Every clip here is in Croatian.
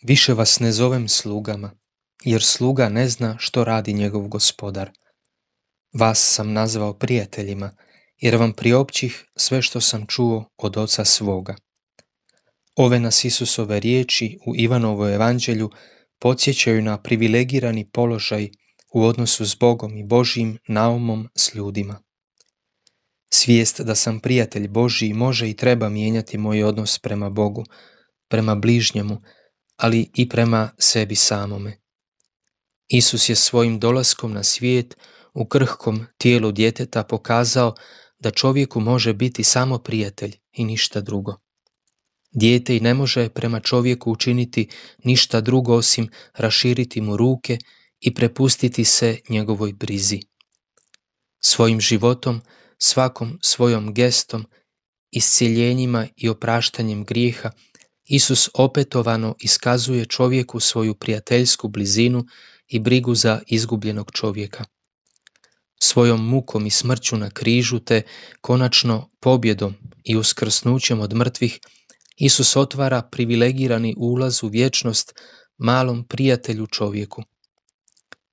Više vas ne zovem slugama, jer sluga ne zna što radi njegov gospodar. Vas sam nazvao prijateljima, jer vam priopćih sve što sam čuo od oca svoga. Ove nas Isusove riječi u Ivanovom evanđelju podsjećaju na privilegirani položaj u odnosu s Bogom i Božjim naumom s ljudima. Svijest da sam prijatelj Božji može i treba mijenjati moj odnos prema Bogu, prema bližnjemu, ali i prema sebi samome. Isus je svojim dolaskom na svijet u krhkom tijelu djeteta pokazao da čovjeku može biti samo prijatelj i ništa drugo. Dijete i ne može prema čovjeku učiniti ništa drugo osim raširiti mu ruke i prepustiti se njegovoj brizi. Svojim životom, svakom svojom gestom, iscjeljenjima i opraštanjem grijeha, Isus opetovano iskazuje čovjeku svoju prijateljsku blizinu i brigu za izgubljenog čovjeka. Svojom mukom i smrću na križu te konačno pobjedom i uskrsnućem od mrtvih, Isus otvara privilegirani ulaz u vječnost malom prijatelju čovjeku.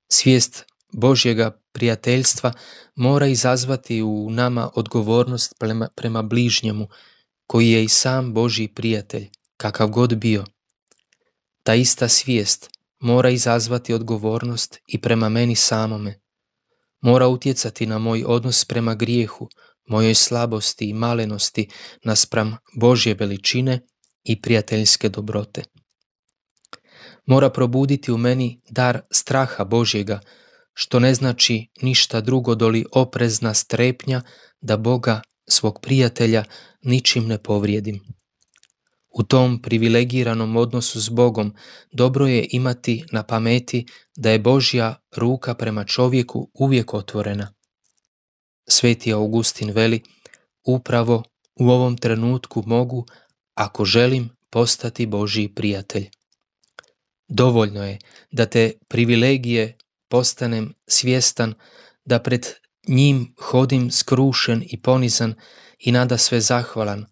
Svijest Božjega prijateljstva mora izazvati u nama odgovornost prema bližnjemu, koji je i sam Božji prijatelj, kakav god bio. Ta ista svijest mora izazvati odgovornost i prema meni samome. Mora utjecati na moj odnos prema grijehu, mojoj slabosti i malenosti naspram Božje veličine i prijateljske dobrote. Mora probuditi u meni dar straha Božjega, što ne znači ništa drugo doli oprezna strepnja da Boga, svog prijatelja, ničim ne povrijedim. U tom privilegiranom odnosu s Bogom dobro je imati na pameti da je Božja ruka prema čovjeku uvijek otvorena. Sveti Augustin veli, upravo u ovom trenutku mogu, ako želim, postati Božji prijatelj. Dovoljno je da te privilegije postanem svjestan, da pred njim hodim skrušen i ponizan i nadasve zahvalan,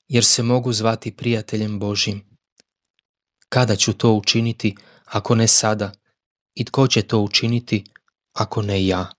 jer se mogu zvati prijateljem Božjim. Kada ću to učiniti, ako ne sada? I tko će to učiniti, ako ne ja?